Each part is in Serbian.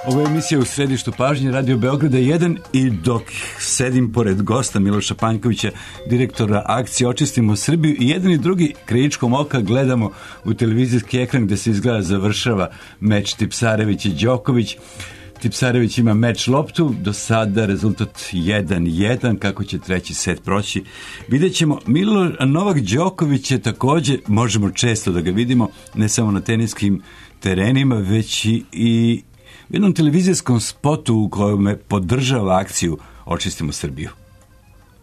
Ovo je emisija U središtu pažnje Radio Beograda 1 i dok sedim pored gosta Miloša Panjkovića, direktora akcije Očistimo Srbiju, i jedan i drugi krajičkom oka gledamo u televizijski ekran gde se izgleda završava meč Tipsarević i Đoković. Tipsarević ima meč loptu, do sada rezultat 1-1, kako će treći set proći. Vidjet ćemo. Novak Đoković je također, možemo često da ga vidimo, ne samo na teniskim terenima, već i u jednom televizijskom spotu u kojem podržava akciju Očistimo Srbiju.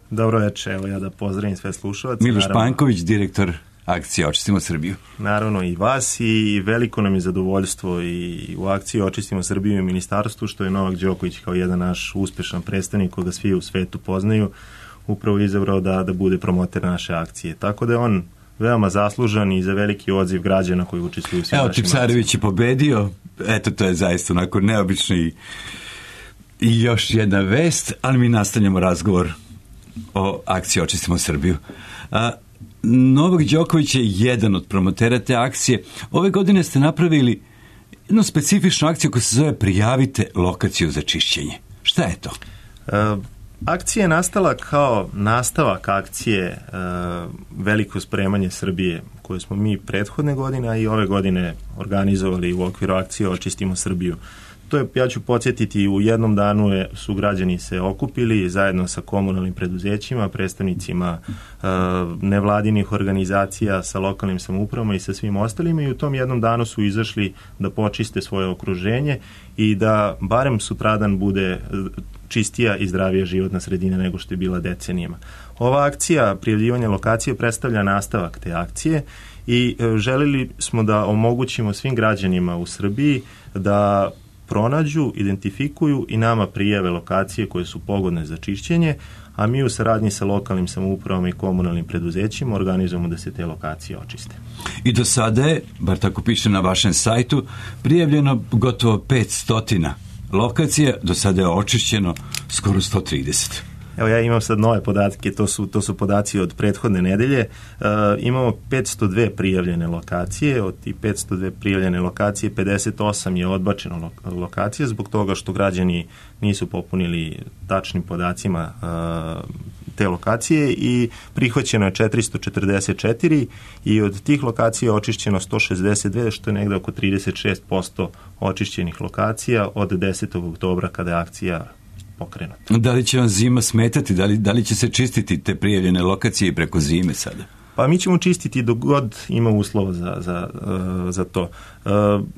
Dobro večer, evo ja da pozdravim sve slušalce. Miloš Panjković, direktor akcije Očistimo Srbiju. Naravno i vas, i veliko nam je zadovoljstvo i u akciji Očistimo Srbiju i ministarstvu što je Novak Đoković kao jedan naš uspešan predstavnik koga svi u svetu poznaju upravo izabrao da bude promoter naše akcije. Tako da je on veoma zaslužan i za veliki odziv građana koji učestvuju u svim našim akcijama. Tipsarević je pobedio, eto to je zaista onako neobično i još jedna vest, ali mi nastavljamo razgovor o akciji Očistimo Srbiju. Novak Đoković je jedan od promotera te akcije. Ove godine ste napravili jednu specifičnu akciju koja se zove Prijavite lokaciju za čišćenje. Šta je to? Akcija je nastala kao nastavak akcije Veliko spremanje Srbije, koje smo mi prethodne godine, a i ove godine organizovali u okviru akcije Očistimo Srbiju. To je, ja ću podsjetiti, u jednom danu su građani se okupili zajedno sa komunalnim preduzećima, predstavnicima nevladinih organizacija, sa lokalnim samoupravama i sa svim ostalima, i u tom jednom danu su izašli da počiste svoje okruženje i da barem sutradan bude čistija i zdravija životna sredina nego što je bila decenijama. Ova akcija prijavljivanja lokacije predstavlja nastavak te akcije i želili smo da omogućimo svim građanima u Srbiji da pronađu, identifikuju i nama prijave lokacije koje su pogodne za čišćenje, a mi u saradnji sa lokalnim samoupravama i komunalnim preduzećima organizujemo da se te lokacije očiste. I do sada je, bar tako piše na vašem sajtu, prijavljeno gotovo 500 lokacija, do sada je očišćeno skoro 130. Evo ja imam sad nove podatke, to su podaci od prethodne nedelje. Imamo 502 prijavljene lokacije, od tih 502 prijavljene lokacije 58 je odbačeno lokacije zbog toga što građani nisu popunili tačnim podacima te lokacije i prihvaćeno je 444 i od tih lokacija je očišćeno 162, što je negde oko 36% očišćenih lokacija od 10. oktobra kada je akcija pokrenuta. Da li će vam zima smetati? Da li će se čistiti te prijavljene lokacije preko zime sada? Pa mi ćemo čistiti dok god ima uslova za to.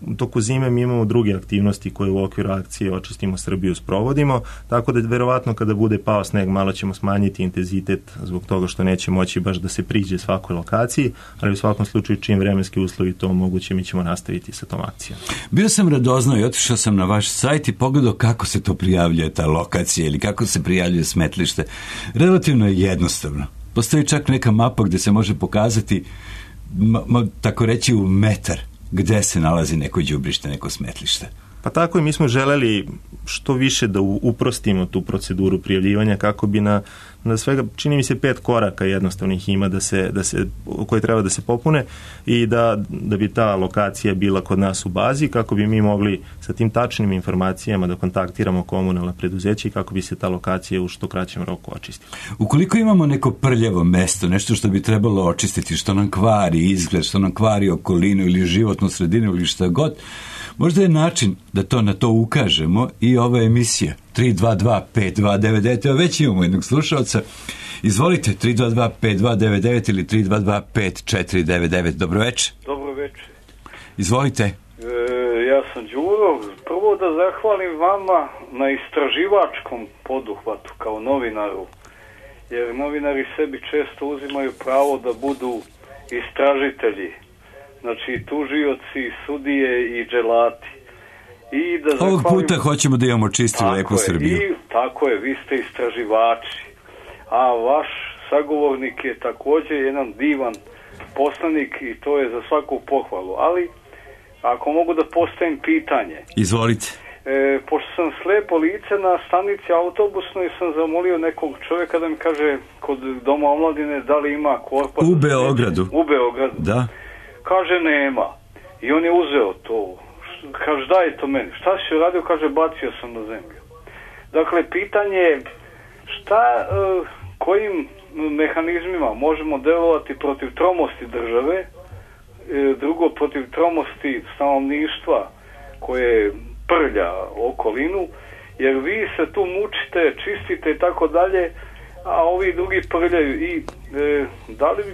U toku zime mi imamo druge aktivnosti koje u okviru akcije Očistimo Srbiju sprovodimo, tako da verovatno kada bude pao sneg malo ćemo smanjiti intenzitet zbog toga što neće moći baš da se priđe svakoj lokaciji, ali u svakom slučaju čim vremenski uslovi to omoguće, mi ćemo nastaviti sa tom akcijom. Bio sam radoznao i otišao sam na vaš sajt i pogledao kako se to prijavljuje ta lokacija ili kako se prijavljuje smetlište. Relativno je jednostavno. Postoji čak neka mapa gde se može pokazati, tako reći u metar, gde se nalazi neko đubrište, neko smetlište. Pa tako i mi smo želeli što više da uprostimo tu proceduru prijavljivanja kako bi na svega, čini mi se 5 koraka jednostavnih ima koje treba da se popune i da bi ta lokacija bila kod nas u bazi kako bi mi mogli sa tim tačnim informacijama da kontaktiramo komunalna preduzeća i kako bi se ta lokacija u što kraćem roku očistila. Ukoliko imamo neko prljavo mesto, nešto što bi trebalo očistiti, što nam kvari izgled, što nam kvari okolinu ili životnu sredinu ili šta god, možda je način da na to ukažemo i ova emisija 322-5299. Evo već imamo jednog slušalca. Izvolite, 322-5299 ili 322-5499. Dobro večer. Dobro večer. Izvolite. Ja sam Đuro. Prvo da zahvalim vama na istraživačkom poduhvatu kao novinaru. Jer novinari sebi često uzimaju pravo da budu istražitelji. Znači tužioci, sudije i dželati. I da ovog puta hoćemo da imamo čistu lepu Srbiju. Tako je, vi ste istraživači. A vaš sagovornik je također jedan divan poslanik i to je za svaku pohvalu. Ali, ako mogu da postavim pitanje. Izvolite. Pošto sam slepo lice na stanici autobusnoj, sam zamolio nekog čovjeka da mi kaže kod Doma omladine da li ima korpa. U Beogradu. U Beogradu. Da. Kaže nema. I on je uzeo to kaže daj to meni. Šta si uradio? Kaže bacio sam na zemlju. Dakle, pitanje je kojim mehanizmima možemo delovati protiv tromosti države, drugo protiv tromosti stanovništva koje prlja okolinu, jer vi se tu mučite, čistite i tako dalje, a ovi drugi prljaju i da li bi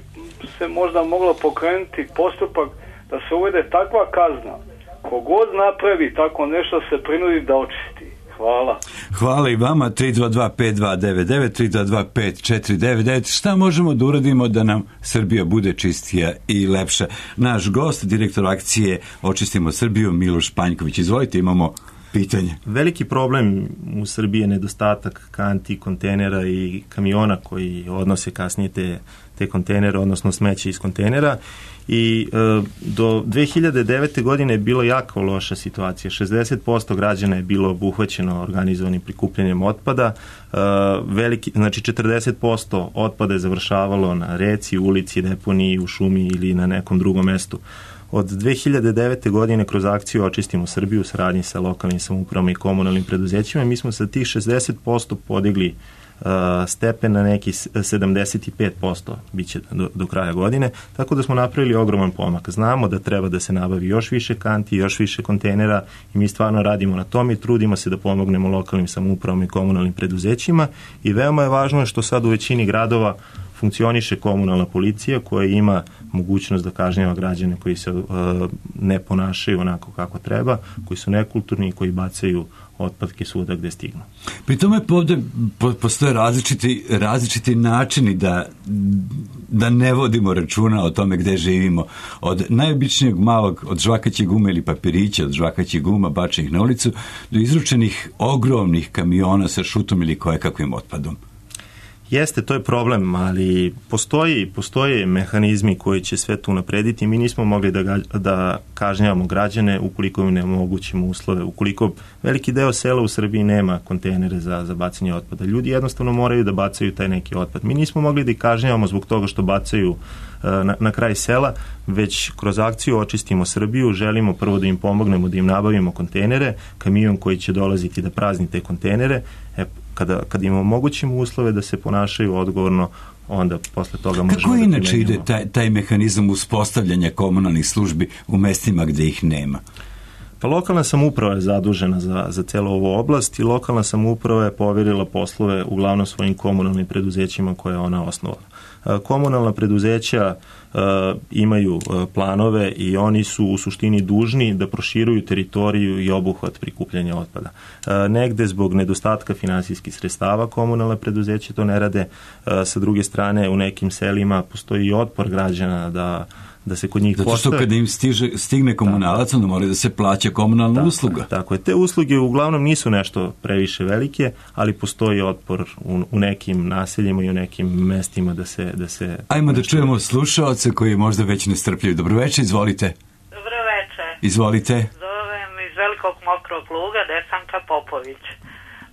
se možda moglo pokrenuti postupak da se uvede takva kazna, kogod napravi tako nešto se prinudi da očisti. Hvala. Hvala i vama. 322-5299, 322-5499. Šta možemo da uradimo da nam Srbija bude čistija i lepša? Naš gost, direktor akcije Očistimo Srbiju, Miloš Panjković. Izvolite, imamo pitanje. Veliki problem u Srbiji je nedostatak kanti, kontejnera i kamiona koji odnose kasnije te kontejnere, odnosno smeće iz kontejnera. I do 2009. godine je bilo jako loša situacija. 60% građana je bilo obuhvaćeno organizovanim prikupljanjem otpada. Znači 40% otpada je završavalo na reci, ulici, deponiji, u šumi ili na nekom drugom mestu. Od 2009. godine kroz akciju Očistimo Srbiju u saradnji sa lokalnim samoupravama i komunalnim preduzećima mi smo sa tih 60% podigli stepen na neki 75% biće do kraja godine, tako da smo napravili ogroman pomak. Znamo da treba da se nabavi još više kanti, još više kontejnera i mi stvarno radimo na tom i trudimo se da pomognemo lokalnim samoupravama i komunalnim preduzećima i veoma je važno što sad u većini gradova funkcioniše komunalna policija koja ima mogućnost da kažnjava građane koji se ne ponašaju onako kako treba, koji su nekulturni i koji bacaju otpadke svuda gde stignu. Pri tome ovde postoje različiti načini da ne vodimo računa o tome gde živimo. Od najobičnijeg malog, od žvakaće gume ili papirića, od žvakaćih guma bačenih na ulicu, do izručenih ogromnih kamiona sa šutom ili kojekakvim otpadom. Jeste, to je problem, ali postoje mehanizmi koji će sve to unaprediti. Mi nismo mogli da kažnjavamo građane ukoliko im ne omogućimo uslove. Ukoliko veliki deo sela u Srbiji nema kontejnere za bacanje otpada. Ljudi jednostavno moraju da bacaju taj neki otpad. Mi nismo mogli da ih kažnjavamo zbog toga što bacaju na kraj sela, već kroz akciju Očistimo Srbiju želimo prvo da im pomognemo, da im nabavimo kontejnere, kamion koji će dolaziti da prazni te kontejnere. Kada im omogućimo uslove da se ponašaju odgovorno, onda posle toga možemo Kako inače ide taj mehanizam uspostavljanja komunalnih službi u mestima gde ih nema? Pa lokalna samouprava je zadužena za celu ovu oblast i lokalna samouprava je poverila poslove uglavnom svojim komunalnim preduzećima koje je ona osnovala. Komunalna preduzeća imaju planove i oni su u suštini dužni da proširuju teritoriju i obuhvat prikupljanja otpada. Negde zbog nedostatka finansijskih sredstava komunalna preduzeća to ne rade. Sa druge strane, u nekim selima postoji i otpor građana da se kod njih postave. Zato što kada im stigne komunalac, onda mora da se plaća komunalna usluga. Tako je. Te usluge uglavnom nisu nešto previše velike, ali postoji otpor u nekim naseljima i u nekim mestima da se Ajmo da čujemo slušaoce koji možda već nestrpljivi. Dobroveče, izvolite. Dobroveče. Izvolite. Zovem iz Velikog Mokrog Luga, Desanka Popović.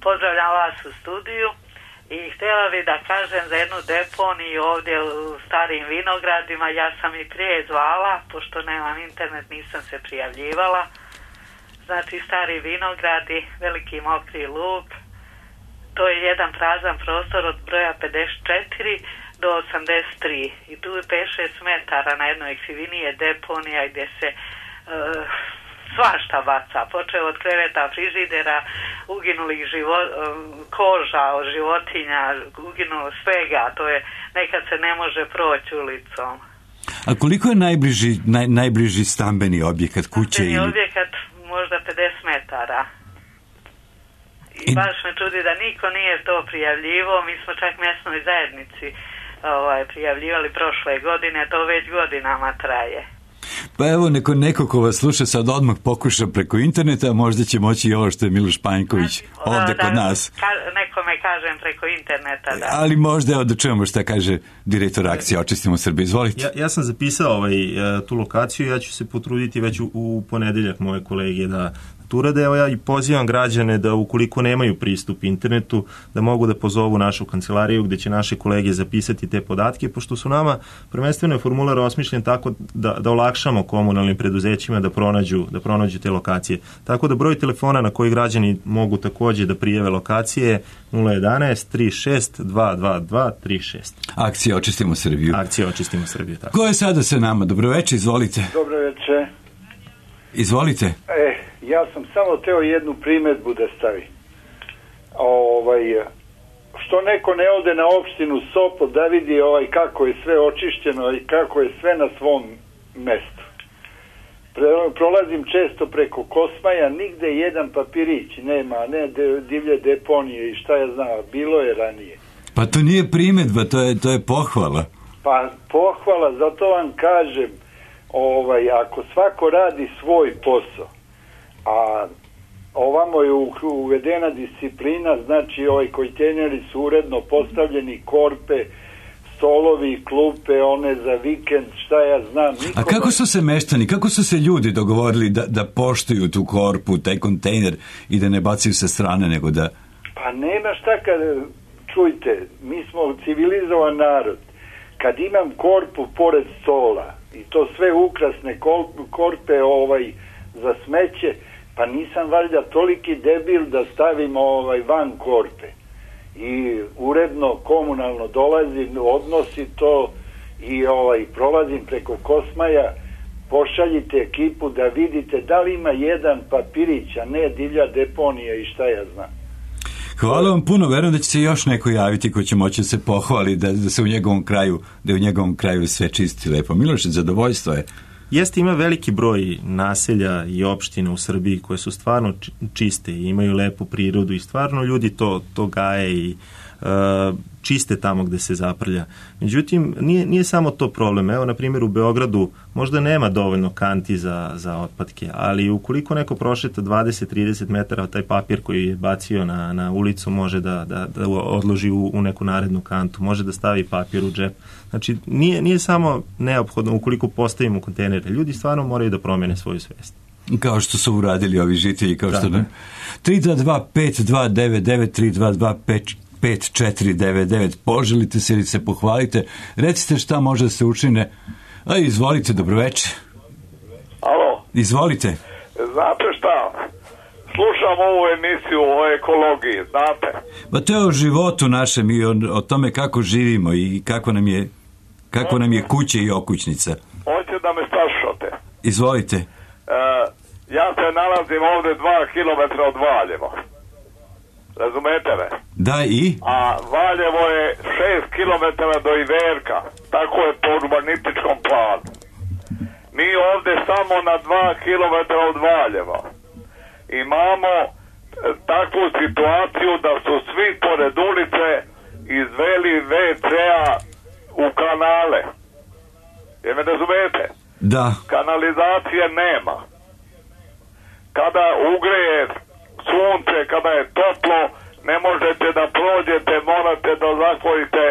Pozdravljam vas u studiju. I htjela bih da kažem za jednu deponiju ovdje u Starim Vinogradima. Ja sam i prije zvala, pošto nemam internet, nisam se prijavljivala. Znači, Stari Vinogradi, Veliki Mokri Lug, to je jedan prazan prostor od broja 54 do 83. I tu je 5-6 metara na jednoj krivini je deponija gdje se svašta baca, počeo od kreveta, frižidera, uginulih koža od životinja, uginulo svega, to je, nekad se ne može proći ulicom. A koliko je najbliži stambeni objekat, kuće? Stambeni objekat možda 50 metara. I baš me čudi da niko nije to prijavljivo, mi smo čak mjesnoj zajednici prijavljivali prošle godine, to već godinama traje. Pa evo, neko ko vas sluša sad odmah pokuša preko interneta, možda će moći i ovo što je Miloš Panjković ovde kod nas. Nekome kažem preko interneta, da. Ali možda evo da čujemo šta kaže direktor akcije Očistimo Srbiju. Izvolite. Ja sam zapisao tu lokaciju, ja ću se potruditi već u ponedeljak moje kolege da urade. Evo ja i pozivam građane da ukoliko nemaju pristup internetu, da mogu da pozovu našu kancelariju gde će naše kolege zapisati te podatke, pošto su nama prvenstveno je formular osmišljen tako da olakšamo komunalnim preduzećima da pronađu te lokacije. Tako da broj telefona na koji građani mogu takođe da prijave lokacije 011 36 222 36. Akcija Očistimo Srbiju. Akcija Očistimo Srbiju, tako. Ko je sada sa nama? Dobroveče, izvolite. Dobroveče. Izvolite. Ja sam samo teo jednu primedbu da stavim. Što neko ne ode na opštinu Sopot da vidi kako je sve očišćeno i kako je sve na svom mestu. Prolazim često preko Kosmaja, nigde jedan papirić nema, ne divlje deponije i šta ja znam, bilo je ranije. Pa to nije primedba, to je pohvala. Pa pohvala, zato vam kažem, ako svako radi svoj posao, a ovamo je uvedena disciplina, znači kontejneri su uredno postavljeni, korpe, stolovi, klupe, one za vikend, šta ja znam. A kako su se meštani, kako su se ljudi dogovorili da poštuju tu korpu, taj kontejner i da ne bacaju sa strane, nego da... Pa nema šta čujte, mi smo civilizovan narod. Kad imam korpu pored stola i to sve ukrasne korpe za smeće, pa nisam valjda toliki debil da stavim van korpe. I uredno komunalno dolazi, odnosi to i prolazim preko Kosmaja, pošaljite ekipu da vidite da li ima jedan papirić, a ne divlja deponija i šta ja znam. Hvala vam puno, verujem da će se još neko javiti ko će moći da se pohvali da se u njegovom kraju sve čisti lepo. Miloš, zadovoljstvo je. Jeste, ima veliki broj naselja i opština u Srbiji koje su stvarno čiste i imaju lepu prirodu i stvarno ljudi to gaje i čiste tamo gde se zaprlja. Međutim, nije samo to problem. Evo, na primjer, u Beogradu možda nema dovoljno kanti za otpadke, ali ukoliko neko prošeta 20-30 metara, taj papir koji je bacio na ulicu može da odloži u neku narednu kantu, može da stavi papir u džep. Znači, nije samo neophodno ukoliko postavimo kontejnere. Ljudi stvarno moraju da promene svoju svest. Kao što su uradili ovi žitelji, kao što ne. 322-5299, 322-5499, poželite se ili se pohvalite, recite šta može da se učine. Izvolite, dobroveče. Alo. Izvolite. Znate šta, slušam ovu emisiju o ekologiji, znate. Pa to je o životu našem i o tome kako živimo i kako nam je kuća i okućnica. Hoćete da me slušate? Izvolite. Ja se nalazim ovde 2 kilometra od Valjeva. Razumete me? Da, i? A Valjevo je 6 kilometara do Iverka. Tako je po urbanističkom planu. Mi ovde samo na 2 kilometra od Valjeva imamo takvu situaciju da su svi pored ulice izveli WC-a u kanale. Je me razumete? Da. Kanalizacije nema. Kada ugreje sunce, kada je toplo, ne možete da prođete, morate da zatvorite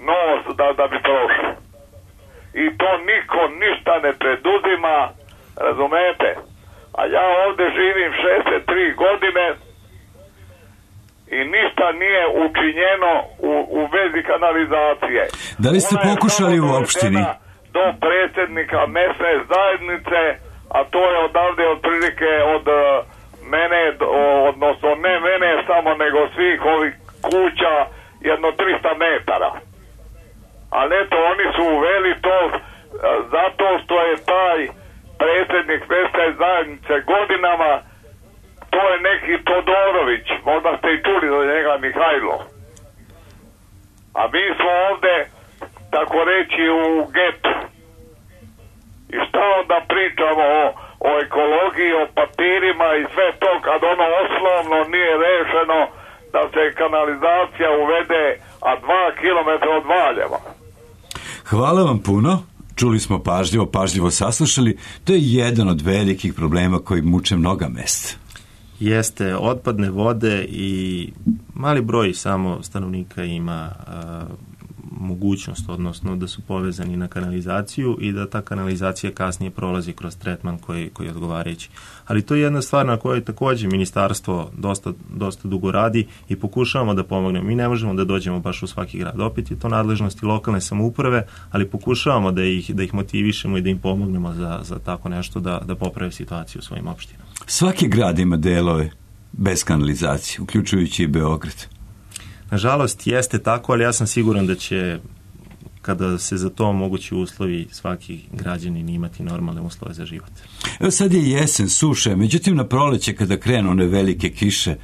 nos da bi prošli. I to niko ništa ne preduzima, razumete? A ja ovde živim 63 godine i ništa nije učinjeno u vezi kanalizacije. Da li ste pokušali u opštini? Do predsjednika mesne zajednice, a to je odavde otprilike od mene, odnosno ne mene samo, nego svih ovih kuća jedno 300 metara. Ali eto, oni su uveli to zato što je taj predsjednik mesne zajednice godinama, to je neki Todorović, možda ste i čuli za njega, Mihajlo. A mi smo ovde, tako reći, u getu. I šta onda pričamo o ekologiji, o papirima i sve to, kad ono osnovno nije rešeno da se kanalizacija uvede, a 2 kilometra od Valjeva. Hvala vam puno. Čuli smo pažljivo saslušali. To je jedan od velikih problema koji muče mnoga mesta. Jeste, otpadne vode i mali broj samo stanovnika ima mogućnost, odnosno da su povezani na kanalizaciju i da ta kanalizacija kasnije prolazi kroz tretman koji je odgovarajući. Ali to je jedna stvar na kojoj takođe ministarstvo dosta dugo radi i pokušavamo da pomognemo. Mi ne možemo da dođemo baš u svaki grad. Opet je to nadležnosti lokalne samouprave, ali pokušavamo da ih motivišemo i da im pomognemo za tako nešto da poprave situaciju u svojim opštinama. Svaki grad ima delove bez kanalizacije, uključujući i Beograd. Nažalost, jeste tako, ali ja sam siguran da će, kada se za to omogući uslovi, svaki građanin imati normalne uslove za život. Evo sad je jesen, suša, međutim na proleće kada krenu one velike kiše,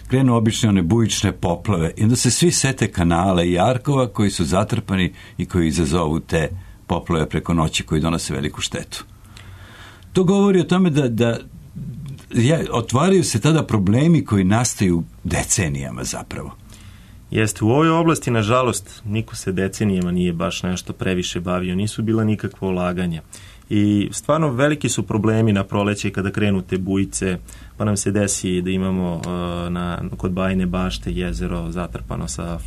krenu obične one bujične poplave i onda se svi sete kanala i arkova koji su zatrpani i koji izazovu te poplave preko noći koji donose veliku štetu. To govori o tome da otvaraju se tada problemi koji nastaju decenijama zapravo. Jeste, u ovoj oblasti, nažalost, niko se decenijama nije baš nešto previše bavio, nisu bila nikakva ulaganja. I stvarno veliki su problemi na proleće kada krenu te bujice, pa nam se desi da imamo kod Bajine Bašte jezero zatrpano sa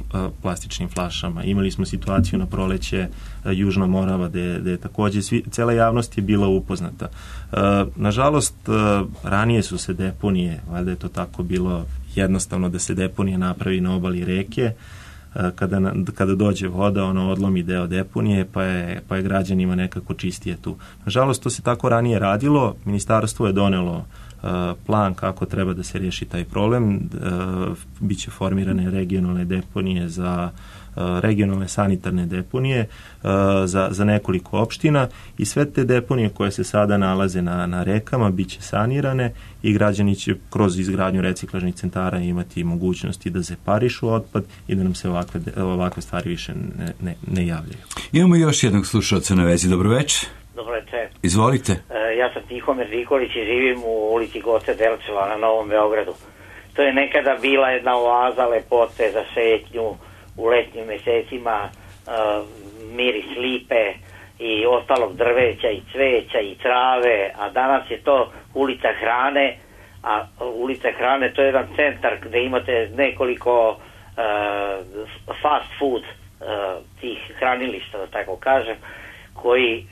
plastičnim flašama. Imali smo situaciju na proleće Južna Morava gde je takođe cela javnost je bila upoznata. Nažalost, ranije su se deponije, valjda je to tako bilo jednostavno da se deponija napravi na obali reke, kada dođe voda, ona odlomi deo deponije, pa je građanima nekako čistije tu. Nažalost, to se tako ranije radilo, ministarstvo je donelo plan kako treba da se riješi taj problem, biće formirane regionalne deponije regionalne sanitarne deponije za nekoliko opština i sve te deponije koje se sada nalaze na rekama biće sanirane i građani će kroz izgradnju reciklažnih centara imati mogućnosti da separišu otpad i da nam se ovakve stvari više ne javljaju. Imamo još jednog slušalca na vezi. Dobro večer. Dobro večer. Izvolite. Ja sam Tihomir Nikolić i živim u ulici Goce Delčeva na Novom Beogradu. To je nekada bila jedna oaza lepote za šetnju u letnjim mesecima, miris lipe i ostalog drveća i cveća i trave, a danas je to ulica hrane, a ulica hrane to je jedan centar gde imate nekoliko fast food tih hranilišta, da tako kažem, koji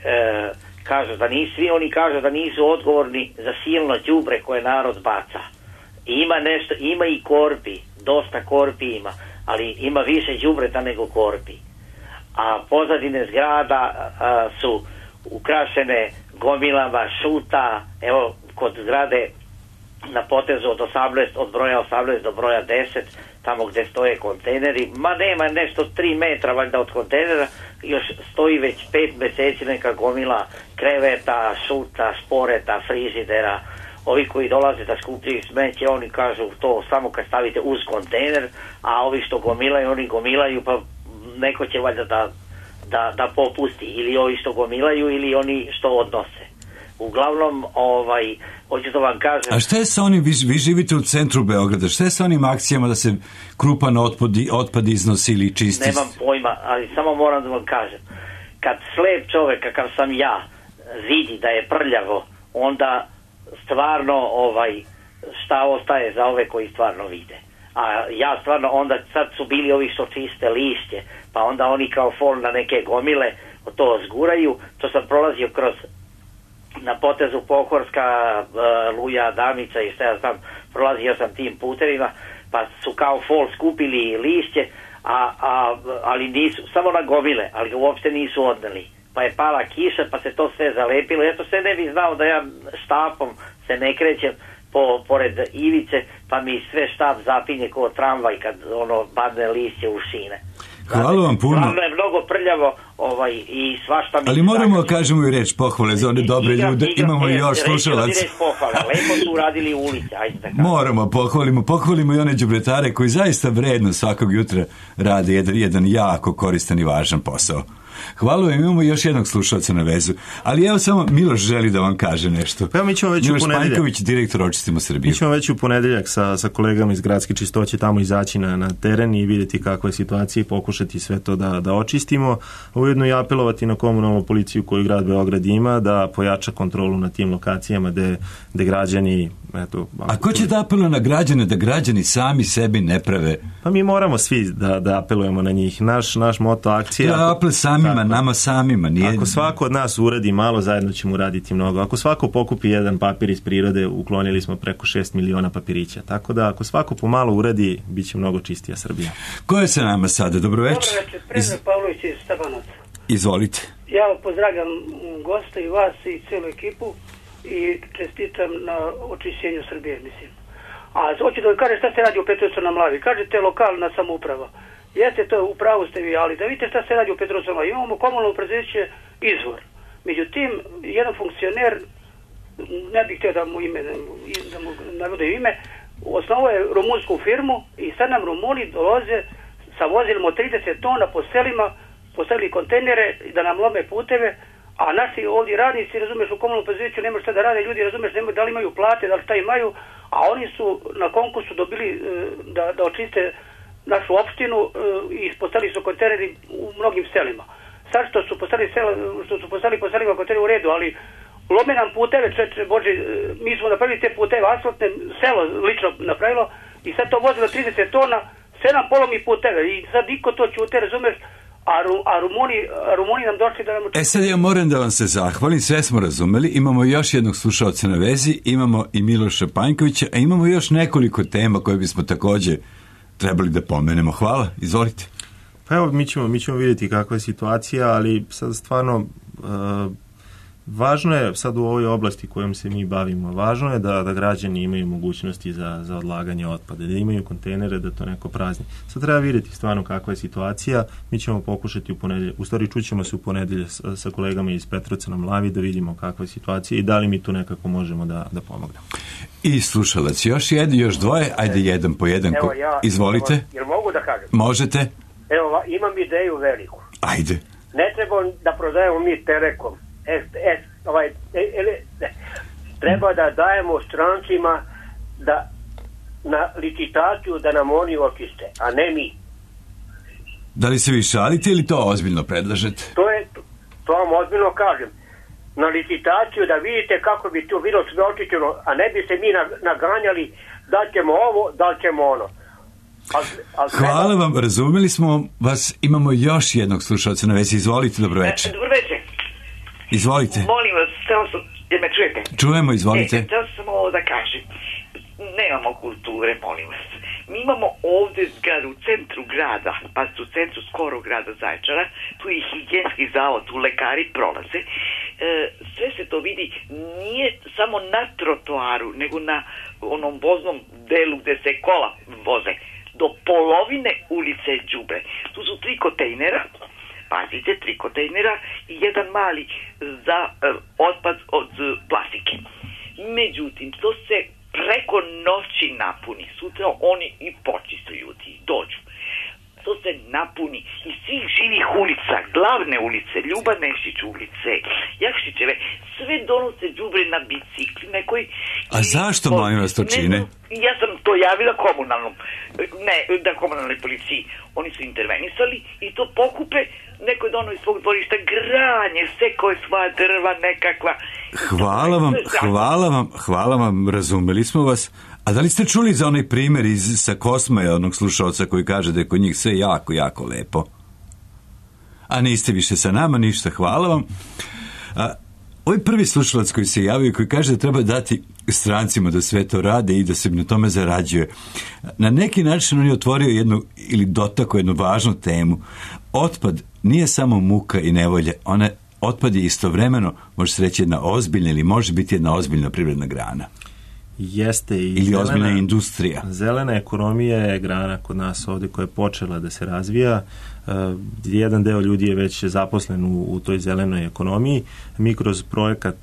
kažu da nisu, svi oni kažu da nisu odgovorni za silno đubre koje narod baca. Ima nešto, ima i korpi, dosta korpi ima, ali ima više đubreta nego korpi. A pozadine zgrada su ukrašene gomilama šuta, evo kod zgrade na potezu od broja 18 do broja 10, tamo gde stoje kontejneri, ma nema nešto 3 metra valjda od kontejnera, još stoji već 5 meseci neka gomila kreveta, šuta, šporeta, frižidera. Ovi koji dolaze da skupljaju smeće, oni kažu to samo kad stavite uz kontejner, a ovi što gomilaju, oni gomilaju, pa neko će valjda da popusti, ili ovi što gomilaju ili oni što odnose. Uglavnom, hoću da vam kažem... A šta je sa onim, vi živite u centru Beograda, šta je sa onim akcijama da se krupan otpad iznosi ili čisti? Nemam pojma, ali samo moram da vam kažem. Kad slep čovek, kakav sam ja, vidi da je prljavo, onda stvarno šta ostaje za ove koji stvarno vide. A ja stvarno, onda sad su bili ovi što čiste lišće, pa onda oni kao fol na neke gomile to zguraju. To sam prolazio na potezu Pohorska, Luja, Adamica i šta ja znam, prolazio sam tim putevima, pa su kao fol skupili lišće, ali nisu, samo na gomile, ali uopšte nisu odneli. Pa je pala kiša, pa se to sve zalepilo. Ja to sve ne bih znao da ja štapom se ne krećem pored ivice, pa mi sve štap zapinje kao tramvaj kad padne lišće u šine. Hvala vam puno. Glavno je mnogo prljavo i svašta mi... Ali moramo kažemo i reč pohvale za one dobre ljude. Imamo i još slušalaca. Lepo su uradili ulice. Moramo, pohvalimo i one đubretare koji zaista vredno svakog jutra rade jedan jako koristan i važan posao. Hvala vam, imamo još jednog slušalca na vezu. Ali evo samo Miloš želi da vam kaže nešto. Pa mi ćemo već Miloš u ponedeljak. Panjković, direktor Očistimo Srbiju. Mi ćemo već u ponedeljak sa kolegama iz Gradske čistoće tamo izaći na teren i vidjeti kakva je situacija i pokušati sve to da očistimo. Ujedno i apelovati na komunalnu policiju koju grad Beograd ima da pojača kontrolu na tim lokacijama gde građani eto... A ko će da apeluje na građane, da građani sami sebi ne prave? Pa mi moramo svi da apelujemo na njih. Naš moto akcije... Da, apel samima, nama samima. Nije... Ako svako od nas uradi malo, zajedno ćemo uraditi mnogo. Ako svako pokupi jedan papir iz prirode, uklonili smo preko 6 miliona papirića. Tako da ako svako pomalo uradi, bit će mnogo čistija Srbija. Ko je sa nama sada? Dobroveče. Dobroveče, Predrag Pavlović iz Stabanaca. Izvolite. Ja pozdravljam gosta i vas i cijelu ekipu i čestitam na očišćenju Srbije, mislim. A hoću da vam kažem šta se radi u Petrovcu na Mlavi. Kažete lokalna samouprava. Jeste to, u pravu ste vi, ali da vidite šta se radi u Petrovcu na Mlavi. Imamo komunalno preduzeće Izvor. Međutim, jedan funkcioner, ne bih htio da mu navode ime, osnovao je rumunsku firmu i sad nam Rumuni dolaze sa vozilima od 30 tona po selima, postavili kontejnere da nam lome puteve, a naši ovdje radnici, razumeš, u komunalnom preduzeću nemaju šta da rade, ljudi, razumeš, nemaju da li imaju plate, da li šta imaju, a oni su na konkursu dobili da očiste našu opštinu i postavili su kontejneri u mnogim selima. Sad što su postavili po selima kontejneri u redu, ali lome nam puteve, Bože, mi smo napravili te puteve, asfaltne, selo lično napravilo i sad to vozilo 30 tona, 7 polomi puteve i sad niko to ćute, razumeš, a Rumuni nam došli da nam... Sad ja moram da vam se zahvalim, sve smo razumeli, imamo još jednog slušaoca na vezi, imamo i Miloša Panjkovića, a imamo još nekoliko tema koje bismo takođe trebali da pomenemo. Hvala, izvolite. Pa evo, mi ćemo vidjeti kakva je situacija, ali sad stvarno važno je sad u ovoj oblasti kojom se mi bavimo, važno je da građani imaju mogućnosti za odlaganje otpada, da imaju kontejnere, da to neko prazni. Sad treba vidjeti stvarno kakva je situacija, mi ćemo pokušati u stvari čućemo se u ponedelje sa kolegama iz Petrovca na Mlavi da vidimo kakva je situacija i da li mi tu nekako možemo da pomognemo. I slušalac, još dvoje, ajde jedan po jedan. Evo ja, izvolite. Jel mogu da kažem? Možete. Evo, imam ideju veliku. Ajde. Ne treba da prodajemo mi Telekom. Treba da dajemo strancima na licitaciju da nam oni očiste, a ne mi. Da li se vi šalite ili to ozbiljno predlažete? To vam ozbiljno kažem. Na licitaciju da vidite kako bi to bilo sve očišćeno, a ne bi se mi naganjali da ćemo ovo, da ćemo ono. Hvala vam, razumeli smo vas. Imamo još jednog slušalca na vezi. Izvolite, dobroveče. Dobroveče. Izvolite. Molim vas, jer me čujete? Čujemo, izvolite. Htio sam ovo da kažem. Nemamo kulture, molim vas. Mi imamo ovdje zgradu u centru grada, pa u centru skoro grada Zaječara, tu je higijenski zavod, tu lekari prolaze. Sve se to vidi, nije samo na trotoaru, nego na onom voznom delu gde se kola voze. Do polovine ulice đubre. Tu su 3 kontejnera, pazite, 3 kontejnera i jedan mali za otpad od plastike. Međutim, to se preko noći napuni. Sutra oni i počiste ljudi, dođu. To se napuni iz svih živih ulica, glavne ulice, Ljuba Nešić ulice, Jakšićeve, sve donose đubre na bicikli. A zašto, molim vas, to čine? Ja sam to javila komunalnoj policiji. Oni su intervenisali i to pokupe, neko je dono iz svog dvorišta granje, sve koje svoja drva nekakva. Hvala vam, razumeli smo vas. A da li ste čuli za onaj primjer sa Kosmaja, onog slušalca koji kaže da je kod njih sve jako, jako lepo? A niste više sa nama, ništa, hvala vam. Ovaj prvi slušalac koji se javio i koji kaže da treba dati strancima da sve to rade i da se na tome zarađuje. Na neki način on je otvorio jednu ili dotakao jednu važnu temu. Otpad nije samo muka i nevolje, otpad je istovremeno, može se reći, jedna ozbiljna ili može biti jedna ozbiljna privredna grana. Jeste i ili ozbiljna industrija. Zelena ekonomija je grana kod nas ovdje koja je počela da se razvija. Jedan deo ljudi je već zaposlen u toj zelenoj ekonomiji. Mi kroz projekat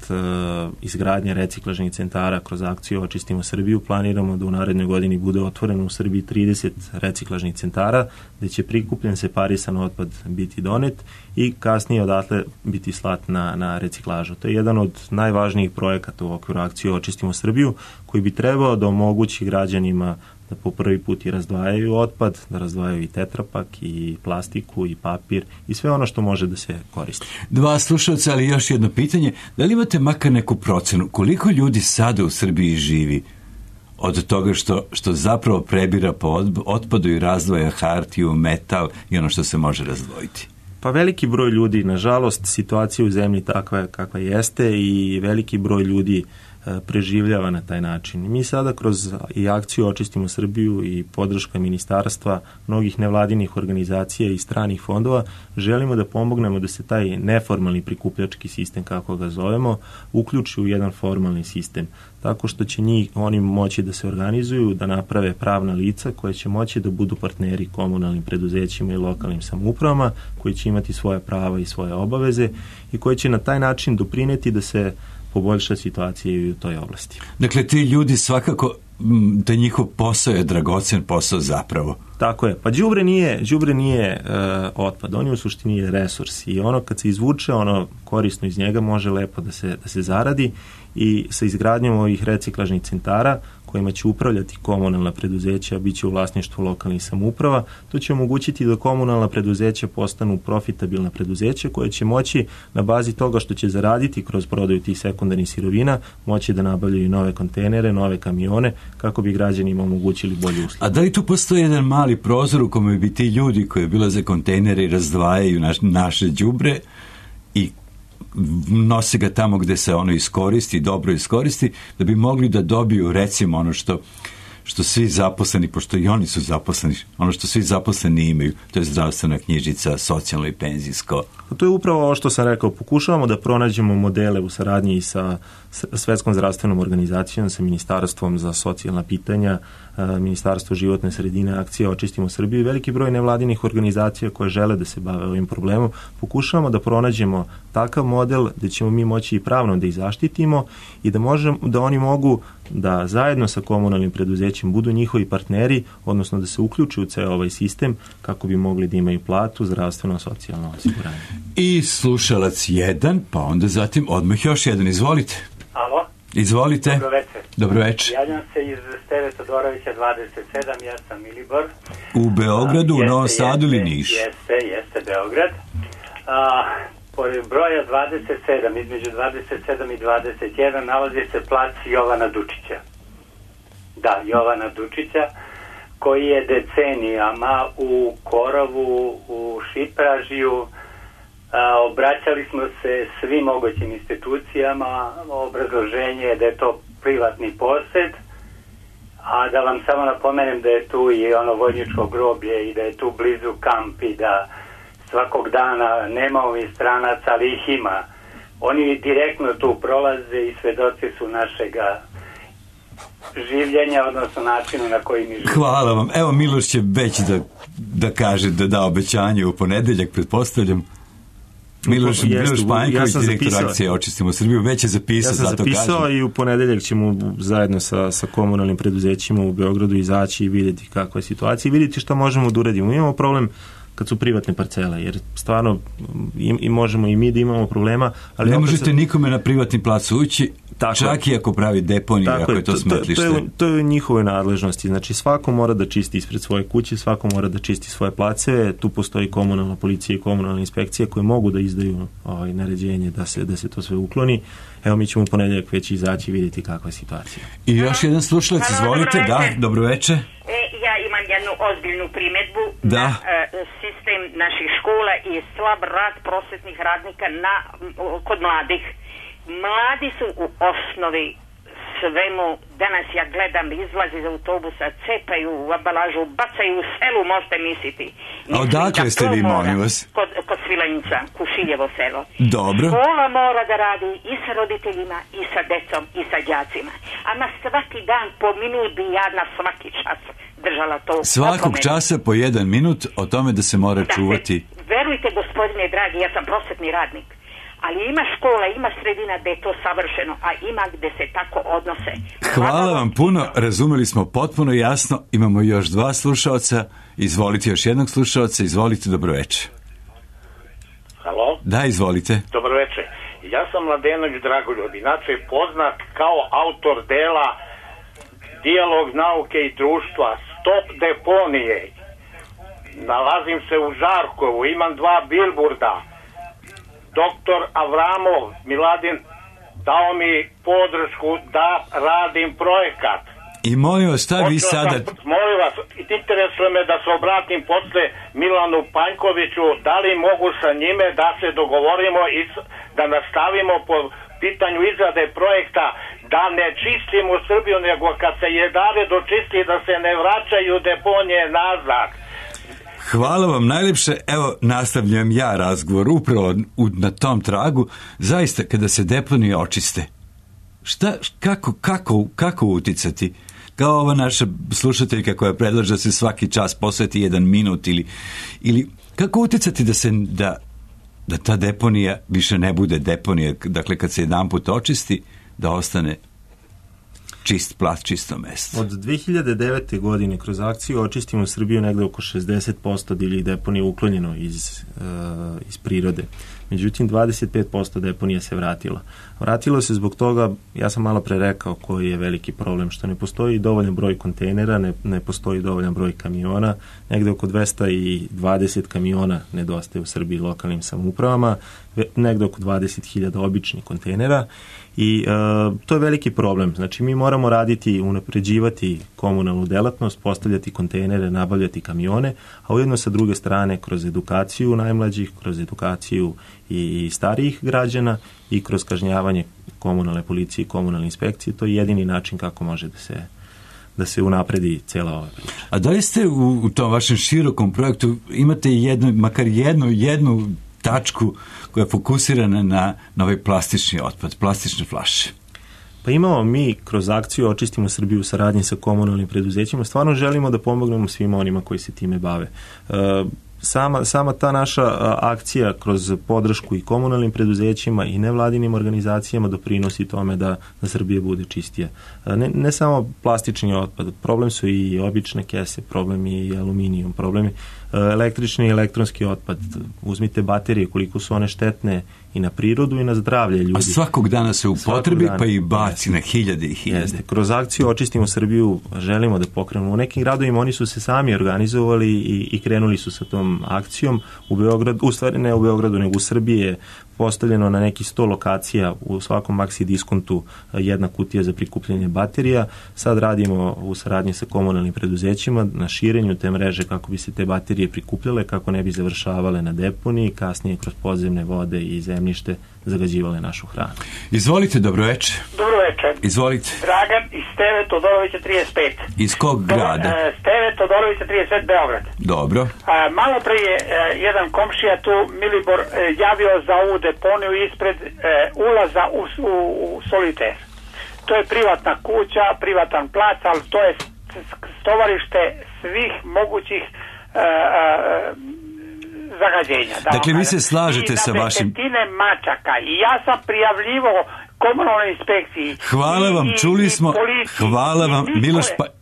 izgradnje reciklažnih centara, kroz akciju Očistimo Srbiju, planiramo da u narednoj godini bude otvoreno u Srbiji 30 reciklažnih centara, gde će prikupljen separisan otpad biti donet i kasnije odatle biti slat na reciklažu. To je jedan od najvažnijih projekata u okviru akcije Očistimo Srbiju, koji bi trebao da omogući građanima da po prvi put i razdvajaju otpad, da razdvajaju i tetrapak, i plastiku, i papir, i sve ono što može da se koristi. 2 slušalca, ali još jedno pitanje. Da li imate makar neku procenu koliko ljudi sada u Srbiji živi od toga što zapravo prebira po otpadu i razdvaja hartiju, metal i ono što se može razdvojiti? Pa veliki broj ljudi, nažalost, situacija u zemlji takva kakva jeste i veliki broj ljudi preživljava na taj način. Mi sada kroz i akciju Očistimo Srbiju i podrška ministarstva, mnogih nevladinih organizacija i stranih fondova želimo da pomognemo da se taj neformalni prikupljački sistem, kako ga zovemo, uključi u jedan formalni sistem. Tako što će oni moći da se organizuju, da naprave pravna lica koje će moći da budu partneri komunalnim preduzećima i lokalnim samoupravama, koji će imati svoje prava i svoje obaveze i koji će na taj način doprineti da se poboljša situacija i u toj oblasti. Dakle, ti ljudi svakako, da njihov posao je dragocen posao zapravo. Tako je. Pa đubre nije otpad, on je u suštini resurs i ono kad se izvuče, ono korisno iz njega može lepo da se zaradi i sa izgradnjom ovih reciklažnih centara kojima će upravljati komunalna preduzeća, bit će u vlasništvu lokalnih samouprava, to će omogućiti da komunalna preduzeća postanu profitabilna preduzeća koje će moći na bazi toga što će zaraditi kroz prodaju tih sekundarnih sirovina, moći da nabavljaju nove kontejnere, nove kamione, kako bi građanima omogućili bolje usluge. A da li tu postoji jedan mali prozor u kome bi ti ljudi koji obilaze kontejnere i razdvajaju naše đubre i nose ga tamo gde se ono iskoristi, dobro iskoristi, da bi mogli da dobiju recimo ono što svi zaposleni, pošto i oni su zaposleni, ono što svi zaposleni imaju, to je zdravstvena knjižica, socijalno i penzijsko. To je upravo ovo što sam rekao, pokušavamo da pronađemo modele u saradnji sa Svetskom zdravstvenom organizacijom, sa Ministarstvom za socijalna pitanja, Ministarstvo životne sredine, akcija Očistimo Srbiju i veliki broj nevladinih organizacija koje žele da se bave ovim problemom. Pokušavamo da pronađemo takav model da ćemo mi moći i pravno da ih zaštitimo i da oni mogu da zajedno sa komunalnim preduzećem budu njihovi partneri, odnosno da se uključuju u ceo ovaj sistem kako bi mogli da imaju platu, zdravstveno, socijalno osiguranje. I slušalac jedan, pa onda zatim odmah još jedan. Izvolite. Alo? Izvolite. Dobro večer. Dobro večer. Javljam se iz Steve Todorovića 27, ja sam Milibor. U Beogradu, u Novom Sadu ili Niš? Jeste Beograd. Pored broja 27, između 27 i 21 nalazi se plac Jovana Dučića. Da, Jovana Dučića, koji je decenijama u korovu, u Šipražiju, obraćali smo se svim mogućim institucijama, obrazloženje je da je to privatni posed, a da vam samo napomenem da je tu i ono vojničko groblje i da je tu blizu kamp i da svakog dana nema ovih stranaca, ali ih ima. Oni direktno tu prolaze i svedoci su našega življenja, odnosno načinu na koji mi živimo. Hvala vam. Evo, Miloš će već da kaže, da da obećanje u ponedeljak, pretpostavljam. Miloš Panjković, direktor akcije Očistimo Srbiju, već je zapisao. Ja sam zapisao i u ponedeljak ćemo zajedno sa komunalnim preduzećima u Beogradu izaći i vidjeti kakva je situacija i vidjeti šta možemo da uradimo. Imamo problem kad su privatne parcele, jer stvarno i možemo i mi da imamo problema. Ali ne možete nikome na privatni plac ući, čak i ako pravi deponiju, ako je to smetlište. To je u njihovoj nadležnosti. Znači, svako mora da čisti ispred svoje kuće, svako mora da čisti svoje placeve. Tu postoji komunalna policija i komunalna inspekcija koje mogu da izdaju naređenje da se to sve ukloni. Evo, mi ćemo u ponedeljak već izaći i vidjeti kakva je situacija. I još jedan slušalac, izvolite. Da, dobro večer. Ja imam jednu ozbiljnu primjedbu na sistem naših škola i slab rad prosvetnih radnika kod mladih. Mladi su u osnovi svemu, danas ja gledam, izlazi iz autobusa, cepaju u ambalažu, bacaju u selu, možete misliti. A odakle ste vi, molim vas? Kod Svilajnca, Kušiljevo selo. Dobro. Škola mora da radi i sa roditeljima, i sa decom, i sa đacima. Ama svaki dan po minut bi ja na svaki čas držala to. Svakog časa po 1 minut o tome da se mora čuvati. Verujte, gospodine dragi, ja sam prosvetni radnik. Ali ima škola, ima sredina gde je to savršeno, a ima gde se tako odnose. Hvala vam puno, razumeli smo potpuno jasno. Imamo još 2 slušaoca. Izvolite još jednog slušaoca. Izvolite, dobro večer. Halo? Da, izvolite. Dobro večer. Ja sam Mladenović Dragoljub, inače poznat kao autor dela Dijalog nauke i društva, Stop deponije. Nalazim se u Žarkovu, imam 2 bilburda. Doktor Avramov, Miladin, dao mi podršku da radim projekat. I molim vas, šta vi sada... Molim vas, interesuje me da se obratim posle Milanu Panjkoviću, da li mogu sa njime da se dogovorimo i da nastavimo po pitanju izrade projekta, da ne čistimo Srbiju, nego kad se jedare dočisti da se ne vraćaju deponije nazad. Hvala vam najljepše. Evo, nastavljam ja razgovor upravo na tom tragu. Zaista, kada se deponije očiste, kako uticati? Kao ova naša slušateljka koja predlaže da se svaki čas posveti 1 minut ili kako uticati da ta deponija više ne bude deponija, dakle kad se jedanput očisti da ostane čist plat, čisto mesto. Od 2009. godine kroz akciju Očistimo Srbiju negde oko 60% divljih deponija uklonjeno iz prirode. Međutim, 25% deponija se vratilo. Vratilo se zbog toga, ja sam malo pre rekao koji je veliki problem, što ne postoji dovoljan broj kontejnera, ne postoji dovoljan broj kamiona, negde oko 220 kamiona nedostaje u Srbiji lokalnim samoupravama, negde oko 20.000 običnih kontejnera i to je veliki problem. Znači, mi moramo raditi, unapređivati komunalnu delatnost, postavljati kontejnere, nabavljati kamione, a ujedno sa druge strane kroz edukaciju najmlađih, kroz edukaciju i starijih građana i kroz kažnjavanje komunalne policije i komunalne inspekcije. To je jedini način kako može da se unapredi cijela ova priča. A da li ste u tom vašem širokom projektu imate makar jednu tačku koja je fokusirana na ovaj plastični otpad, plastične flaše? Pa imamo mi kroz akciju Očistimo Srbiju u saradnji sa komunalnim preduzećima, stvarno želimo da pomognemo svima onima koji se time bave. Sama ta naša akcija kroz podršku i komunalnim preduzećima i nevladinim organizacijama doprinosi tome da Srbija bude čistija. Ne samo plastični otpad, problem su i obične kese, problem je i aluminijum, problem je električni i elektronski otpad. Uzmite baterije, koliko su one štetne i na prirodu i na zdravlje ljudi. A svakog dana se upotrebi pa i baci na hiljade i hiljade. Jeste. Kroz akciju Očistimo Srbiju želimo da pokrenemo. U nekim gradovima oni su se sami organizovali i krenuli su sa tom akcijom. U Beogradu, u stvari ne u Beogradu, nego u Srbiji je postavljeno na neki 100 lokacija u svakom Maxi diskontu jedna kutija za prikupljanje baterija. Sad radimo u saradnji sa komunalnim preduzećima na širenju te mreže kako bi se te baterije prikupljale, kako ne bi završavale na deponiji, kasnije kroz podzemne vode i zemljište zagađivale našu hranu. Izvolite, dobroveče. Dobroveče. Izvolite. Dragan iz Steve Todorovića 35. Iz kog grada? Steve Todorovića 35, Beograd. Dobro. Malo pre je jedan komšija tu, Milibor, javio za ovu deponiju ispred ulaza u Soliter. To je privatna kuća, privatan plac, ali to je stovarište svih mogućih zagađenja. Dakle, vi se slažete sa vašim... mačaka i ja sam prijavljivao komunalnoj inspekciji. Hvala vam, čuli smo. Hvala vam,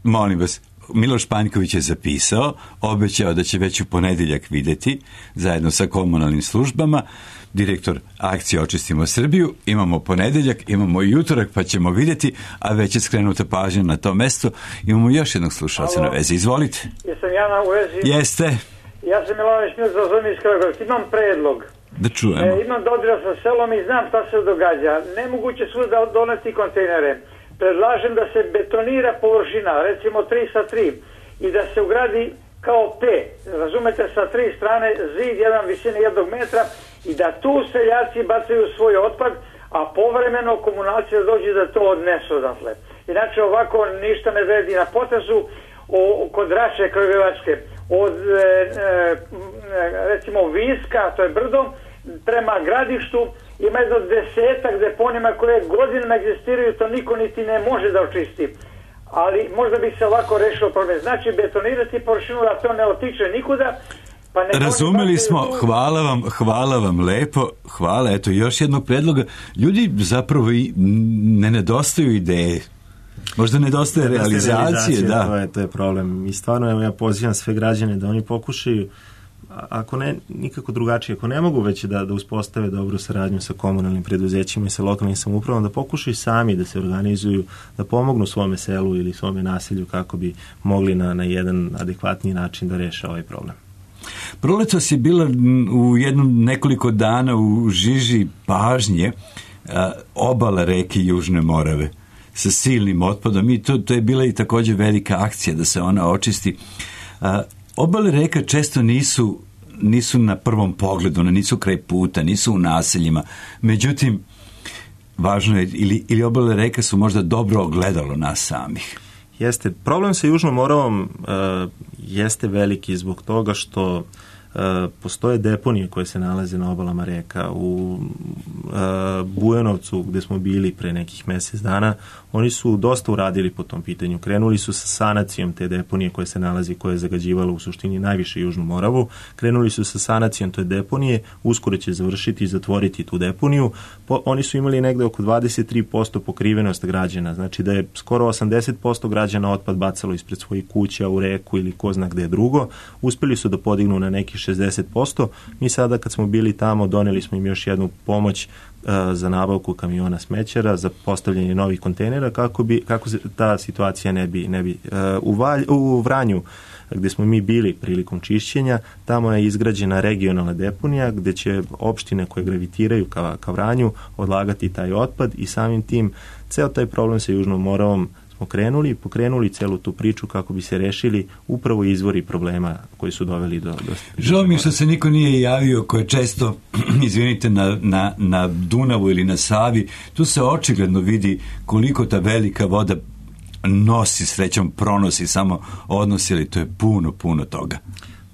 molim vas. Miloš Panjković je zapisao, obećao da će već u ponedjeljak vidjeti zajedno sa komunalnim službama. Direktor akcije Očistimo Srbiju, imamo ponedjeljak, imamo i utorak, pa ćemo vidjeti, a već je skrenuta pažnja na to mesto. Imamo još jednog slušalca na vezi. Izvolite. Jesam ja na vezi? Jeste. Ja sam Milović Milza iz Kragujevca. Imam predlog. Da čujemo. Imam dodira sa selom i znam šta se događa. Nemoguće svuda doneti kontejnere. Predlažem da se betonira površina, recimo 3 sa 3, i da se ugradi kao P, razumete, sa 3 strane zid, jedan visine 1 metra, i da tu seljaci bacaju svoj otpad, a povremeno komunalci da dođu da to odnesu odatle. Inače ovako ništa ne vredi. Na potezu kod Raše Kragujevačke, od recimo Viska, to je brdo, prema Gradištu, ima jedno 10 deponija koje godinama egzistiraju, to niko niti ne može da očisti. Ali možda bi se ovako rešio problem. Znači betonirati površinu da to ne otiče nikuda. Pa razumeli smo, hvala vam lepo, hvala, eto još jednog predloga. Ljudi zapravo i ne nedostaju ideje. Možda nedostaje realizacije, da. To je problem. I stvarno, evo, ja pozivam sve građane da oni pokušaju, ako ne, nikako drugačije, ako ne mogu već da uspostave dobru saradnju sa komunalnim preduzećima i sa lokalnim samoupravom, da pokušaju sami da se organizuju, da pomognu svome selu ili svome naselju kako bi mogli na jedan adekvatniji način da reše ovaj problem. Proletos je bila u nekoliko dana u žiži pažnje obala reke Južne Morave. sa silnim otpadom i to je bila i također velika akcija da se ona očisti. Obale reka često nisu na prvom pogledu, nisu kraj puta, nisu u naseljima. Međutim, važno je, ili obale reka su možda dobro ogledalo nas samih. Jeste. Problem sa Južnom Moravom jeste veliki zbog toga što postoje deponije koje se nalaze na obalama reka. U Bujanovcu, gde smo bili pre nekih mjesec dana, oni su dosta uradili po tom pitanju. Krenuli su sa sanacijom te deponije koje se nalazi, koje je zagađivalo u suštini najviše Južnu Moravu. Krenuli su sa sanacijom te deponije, uskoro će završiti i zatvoriti tu deponiju. Oni su imali negde oko 23% pokrivenost građana, znači da je skoro 80% građana otpad bacalo ispred svojih kuća u reku ili ko zna gde drugo. Uspeli su da podignu na neki 60%. Mi sada kad smo bili tamo doneli smo im još jednu pomoć za nabavku kamiona smećara, za postavljanje novih kontejnera kako se ta situacija ne bi u Vranju gdje smo mi bili prilikom čišćenja, tamo je izgrađena regionalna deponija gdje će opštine koje gravitiraju ka Vranju odlagati taj otpad i samim tim ceo taj problem sa Južnom Moravom smo pokrenuli celu tu priču kako bi se rešili upravo izvori problema koji su doveli do Žao mi što se niko nije javio ko je često, izvinite, na Dunavu ili na Savi. Tu se očigledno vidi koliko ta velika voda nosi, srećom pronosi, samo odnosi, ali to je puno toga.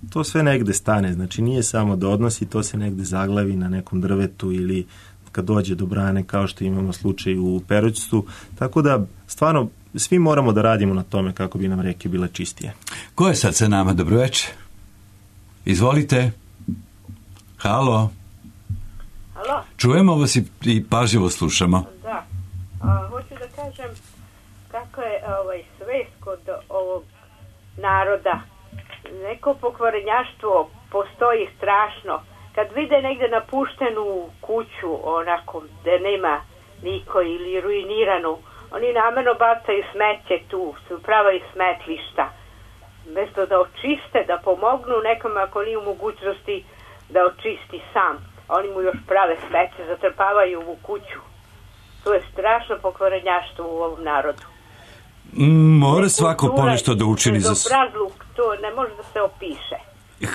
To sve negde stane, znači nije samo da odnosi, to se negde zaglavi na nekom drvetu ili kad dođe do brane, kao što imamo slučaj u Perućcu, tako da stvarno svi moramo da radimo na tome kako bi nam reke bile čistije. Ko je sad sa nama? Dobroveče. Izvolite. Halo. Halo. Čujemo vas i pažljivo slušamo. Da. Hoću da kažem kako je svest kod ovog naroda. Neko pokvarenjaštvo postoji strašno. Kad vide negde napuštenu kuću onako gde nema niko ili ruiniranu, oni namerno bacaju smeće tu, se upravaju smetlišta. Mesto da očiste, da pomognu nekom ako nije u mogućnosti da očisti sam. Oni mu još prave smeće, zatrpavaju u kuću. To je strašno pokvarenjaštvo u ovom narodu. Mora svako ponešto da učini za... Bezobrazluk, to ne može da se opiše.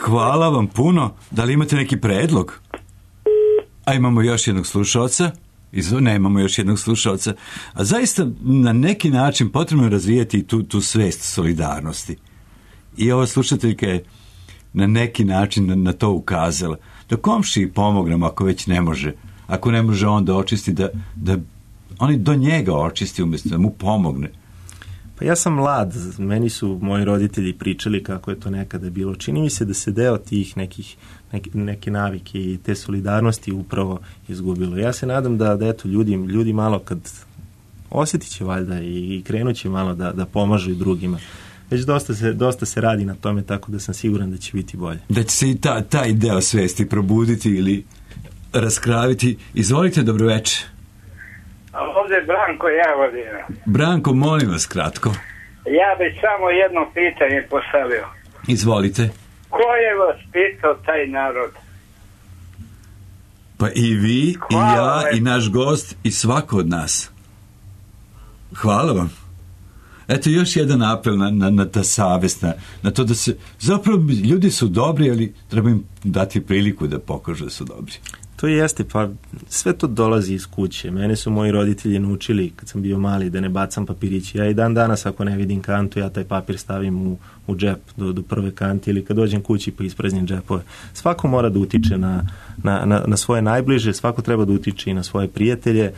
Hvala vam puno. Da li imate neki predlog? A imamo još jednog slušalca? Nemamo još jednog slušalca. A zaista na neki način potrebno je razvijati tu svest solidarnosti. I ova slušateljka je na neki način na to ukazala. Da komšiji pomognemo ako već ne može. Ako ne može on da očisti, da oni do njega očisti umjesto da mu pomogne. Pa ja sam mlad, meni su moji roditelji pričali kako je to nekada bilo. Čini mi se da se deo tih neke navike i te solidarnosti upravo izgubilo. Ja se nadam da eto ljudi malo kad osjetit će valjda i krenut će malo da pomažu i drugima. Već dosta se radi na tome, tako da sam siguran da će biti bolje. Da će se i taj deo svesti probuditi ili raskraviti. Izvolite, dobroveče. Ovdje Branko Jagodina. Branko, molim vas kratko. Ja bih samo jedno pitanje postavio. Izvolite. Ko je vas pitao taj narod? Pa i vi, hvala, i ja, i naš gost, i svako od nas. Hvala vam. Eto još jedan apel na ta savest, na to da se, zapravo ljudi su dobri, ali treba im dati priliku da pokažu da su dobri. To jeste, pa sve to dolazi iz kuće. Mene su moji roditelji naučili kad sam bio mali da ne bacam papirići. Ja i dan danas ako ne vidim kantu, ja taj papir stavim u džep do prve kante ili kad dođem kući pa ispraznim džepove. Svako mora da utiče na svoje najbliže, svako treba da utiče i na svoje prijatelje.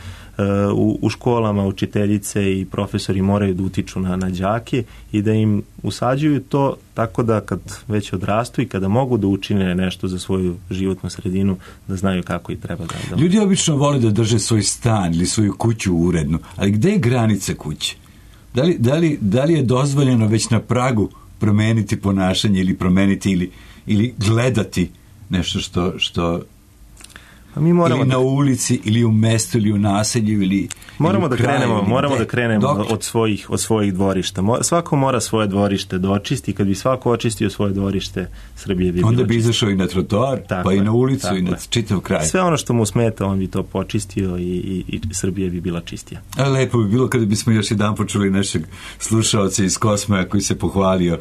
U školama učiteljice i profesori moraju da utiču na đake i da im usađuju to tako da kad već odrastu i kada mogu da učine nešto za svoju životnu sredinu, da znaju kako i treba da... Ljudi obično vole da drže svoj stan ili svoju kuću uredno, ali gde je granica kuće? Da li je dozvoljeno već na pragu promeniti ponašanje ili promeniti ili gledati nešto što mi moramo ili na ulici, ili u mestu, ili u naselju, Moramo da krenemo od svojih dvorišta. Svako mora svoje dvorište da očisti. Kad bi svako očistio svoje dvorište, Srbije bi bilo onda bi izašao i na trotoar, pa i na ulicu i na čitav kraj. Sve ono što mu smeta, on bi to počistio i Srbija bi bila čistija. Lepo bi bilo kada bismo još jedan počuli našeg slušaoca iz Kosmaja koji se pohvalio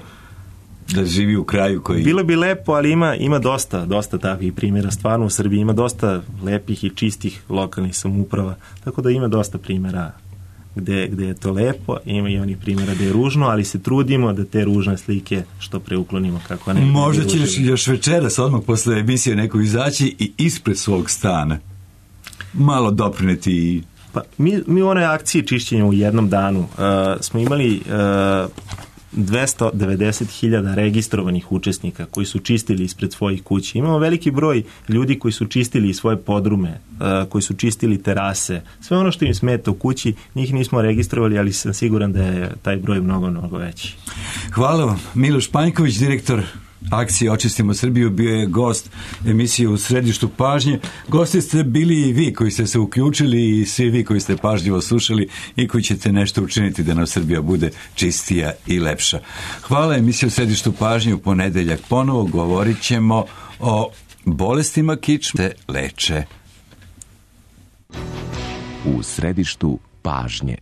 da živi u kraju koji... Bilo bi lepo, ali ima dosta takvih primjera. Stvarno u Srbiji ima dosta lepih i čistih lokalnih samouprava, tako da ima dosta primjera gde je to lepo, ima i onih primjera gde je ružno, ali se trudimo da te ružne slike što pre uklonimo kako ne. Možda ćeš još večeras odmah posle emisije neko izaći i ispred svog stana malo doprineti i... Pa, mi u onoj akciji čišćenja u jednom danu smo imali 290.000 registrovanih učesnika koji su čistili ispred svojih kuća. Imamo veliki broj ljudi koji su čistili svoje podrume, koji su čistili terase. Sve ono što im smeta u kući, njih nismo registrovali, ali sam siguran da je taj broj mnogo veći. Hvala vam. Miloš Panjković, direktor akcije Očistimo Srbiju, bio je gost emisije U središtu pažnje. Gosti ste bili i vi koji ste se uključili i svi vi koji ste pažljivo slušali i koji ćete nešto učiniti da nam Srbija bude čistija i lepša. Hvala. Emisija U središtu pažnje u ponedeljak ponovo govorit ćemo o bolestima kičme leče. U središtu pažnje.